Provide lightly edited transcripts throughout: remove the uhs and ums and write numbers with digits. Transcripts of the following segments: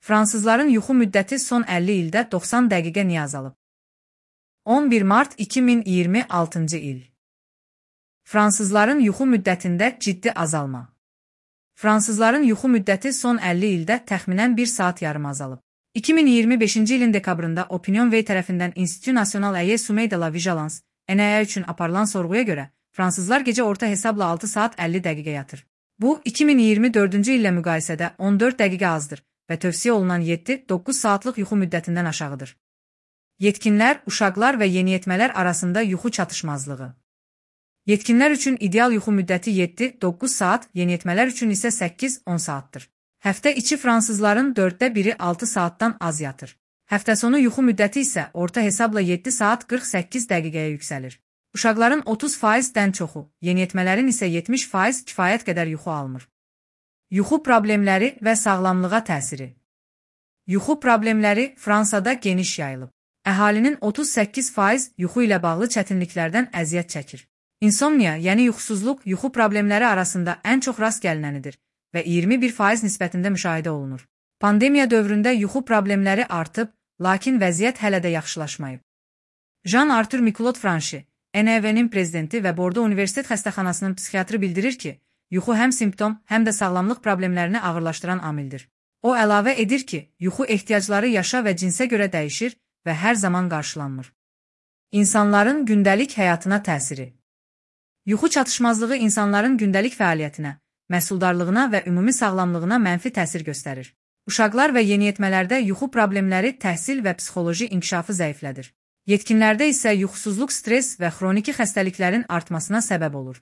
Fransızların yuxu müddəti son 50 ildə 90 dəqiqə niyə azalıb? 11 mart 2026-cı il. Fransızların yuxu müddətində ciddi azalma. Fransızların yuxu müddəti son 50 ildə təxminən 1 saat yarım azalıb. 2025-ci ilin dekabrında Opinion-Way tərəfindən Institut National et Sommeil de la Vigilance (NIA) üçün aparılan sorğuya görə, fransızlar gecə orta hesabla 6 saat 50 dəqiqə yatır. Bu, 2024-cü illə müqayisədə 14 dəqiqə azdır və tövsiyə olunan 7-9 saatlıq yuxu müddətindən aşağıdır. Yetkinlər, uşaqlar və yeniyetmələr arasında yuxu çatışmazlığı. Yetkinlər üçün ideal yuxu müddəti 7-9 saat, yeniyetmələr üçün isə 8-10 saatdır. Həftə içi fransızların 1/4 6 saatdan az yatır. Həftə sonu yuxu müddəti isə orta hesabla 7 saat 48 dəqiqəyə yüksəlir. Uşaqların 30%-dən çoxu, yeniyetmələrin isə 70% kifayət qədər yuxu almır. Yuxu problemləri və sağlamlığa təsiri. Yuxu problemləri Fransada geniş yayılıb. Əhalinin 38% yuxu ilə bağlı çətinliklərdən əziyyət çəkir. İnsomniya, yəni yuxusuzluq, yuxu problemləri arasında ən çox rast gəlinənidir və 21% nisbətində müşahidə olunur. Pandemiya dövründə yuxu problemləri artıb, lakin vəziyyət hələ də yaxşılaşmayıb. Jean-Arthur Miquelot Franchi, NIA-nin prezidenti və Bordo Universitet xəstəxanasının psixiatrı bildirir ki, yuxu həm simptom, həm də sağlamlıq problemlərini ağırlaşdıran amildir. O əlavə edir ki, yuxu ehtiyacları yaşa və cinsə görə dəyişir və hər zaman qarşılanmır. İnsanların gündəlik həyatına təsiri. Yuxu çatışmazlığı insanların gündəlik fəaliyyətinə, məhsuldarlığına və ümumi sağlamlığına mənfi təsir göstərir. Uşaqlar və yeniyetmələrdə yuxu problemləri təhsil və psixoloji inkişafı zəiflədir. Yetkinlərdə isə yuxusuzluq, stres və xroniki xəstəliklərin artmasına səbəb olur.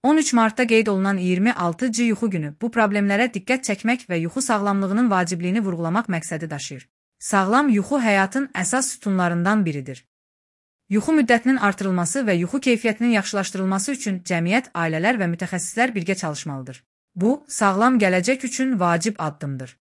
13 martda qeyd olunan 26-cı yuxu günü bu problemlərə diqqət çəkmək və yuxu sağlamlığının vacibliyini vurğulamaq məqsədi daşıyır. Sağlam yuxu həyatın əsas sütunlarından biridir. Yuxu müddətinin artırılması və yuxu keyfiyyətinin yaxşılaşdırılması üçün cəmiyyət, ailələr və mütəxəssislər birgə çalışmalıdır. Bu, sağlam gələcək üçün vacib addımdır.